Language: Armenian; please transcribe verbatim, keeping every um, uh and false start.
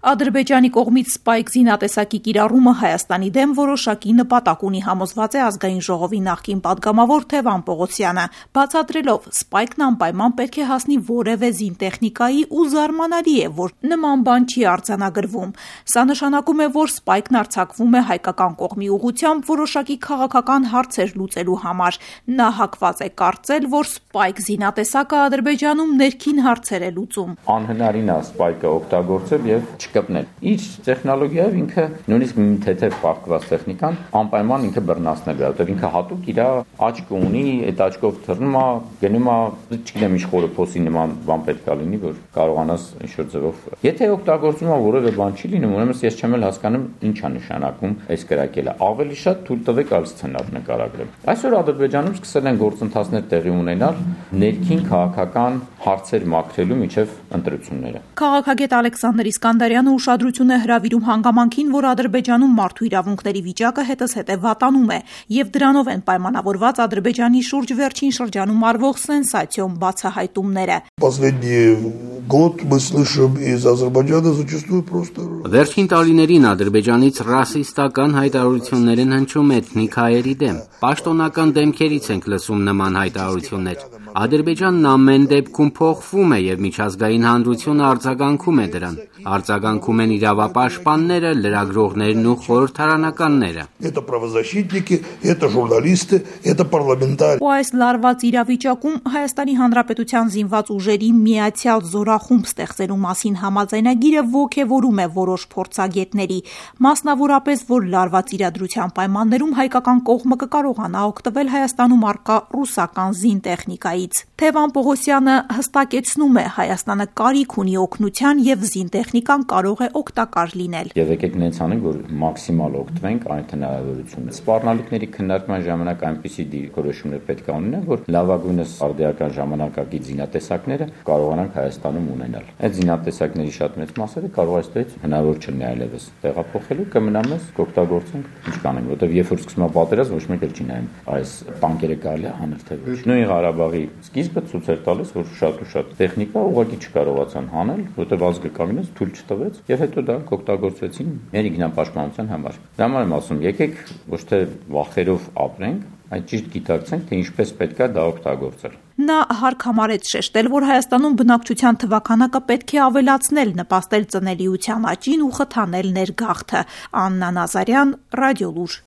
Ադրբեջանի կողմից Spike զինատեսակի կիրառումը Հայաստանի դեմ որոշակի նպատակ ունի, համոզված է Ազգային ժողովի նախկին պատգամավոր Թևան Պողոսյանը, բացատրելով Spike-ն անպայման պետք է հասնի որևէ զինտեխնիկայի ու զարմանալի է, որ նման բան չի արձանագրվում։ Սա նշանակում է, որ Spike-ն արձակվում է հայկական կողմի ուղղությամբ որոշակի քաղաքական հարցեր լուծելու համար։ Նա հակված է կարծել, որ Spike զինատեսակը Ադրբեջանում ներքին հարցեր է լուծում։ Անհնարին է Spike-ը օգտագործել եւ չկպնել։ Իր տեխնոլոգիայով ինքը նույնիսկ մի թեթև պարտված տեխնիկան անպայման ինքը բռնացնել է, որտեղ ինքը հատուկ իր աչք ունի, այդ աչքով թռնում է, գնում է, չգիտեմ ինչ խորոփոսի նման բան պետք է լինի, որ կարողանաս ինչ-որ ձևով։ Եթե օգտագործում է որևէ բան չի լինում, ուրեմն ես չեմ էլ հասկանում ինչ է նշանակում այս կրակելը։ Ավելի շատ թույլ տվեք այլ սցենար նկարագրել։ Այսօր Ադրբեջանում սկսել են գործընթացներ տեղի ունենալ ներքին քաղաքական հարցեր մաքրելու միջև ընտրությունները։ Քաղաքագետ Ալեքսանդր Իսկանդարյանը ուշադրություն է հրավիրում հանգամանքին, որ Ադրբեջանում մարդու իրավունքների վիճակը հետզհետե վատանում է, եւ դրանով են պայմանավորված Ադրբեջանի շուրջ վերջին շրջանում արվող սենսացիոն բացահայտումները։ Վերջին տարիներին Ադրբեջանից ռասիստական հայտարարություններ են հնչում էթնիկ հայերի դեմ։ Պաշտոնական դեմքերից ենք լսում նման հայտարարություններ։ Ադրբեջանն ամեն դեպքում փոխվում է եւ միջազգային հանրությունը արձագանքում է դրան։ Արձագանքում են իրավապաշտպանները, լրագրողներն ու խորհրդարանականները։ Ու այս լարված իրավիճակում Հայաստանի Հանրապետության զինված ուժերի միացյալ զորախումբ ստեղծելու մասին համաձայնագիրը ոգևորում է որոշ փորձագետների, մասնավորապես, որ լարված իրադրության պայմաններում հայկական կողմը կկարողանա օգտվել Հայաստանում առկա ռուսական զինտեխնիկայից։ Թևան Պողոսյանը հստակեցնում է, Հայաստանը կարիք ունի օգնության եւ զինտեխնիկան կարող է օգտակար լինել։ Եվ եկեք նենց անենք, որ մաքսիմալ օգտվենք այդ հնարավորությունից։ Սպառնալիքների քննարկման ժամանակ այնպիսի դիրքորոշումներ պետք է ունենան, որ լավագույնս արդիական ժամանակակից զինատեսակները կարողանանք Հայաստանում ունենալ։ Այդ զինատեսակների շատ մեծ մասերը կարող է ստից հնարավոր չլինի այլևս տեղափոխելու, կմնա մեզ կօգտագործենք, ինչ կանենք, որովհետև երբ որ սկսում է պատերազմ, ոչ մեկ էլ չի նայում այս տանկերը կարելի է հանել թե ոչ։ Նույն Ղարաբաղի սկիզբը ցույց էր տալիս, որ շատ ու շատ տեխնիկա ուղղակի չկարողացան հանել, որովհետև ազգը կանգնեց, թույլ չտվեց, եւ հետո դա կօգտագործվեցին մեր ինքնապաշտպանության համար։ Դա համար եմ ասում, եկեք ոչ թե վախերով ապրենք, այլ ճիշտ գիտակցենք, թե ինչպես պետք է դա օգտագործել։ Նա հարկ համարեց շեշտել, որ Հայաստանում բնակչության թվաքանակը պետք է ավելացնել, նպաստել ծնելիության աճին ու խթանել ներգաղթը։ Աննա Նազարյան, Ռադիոլուր։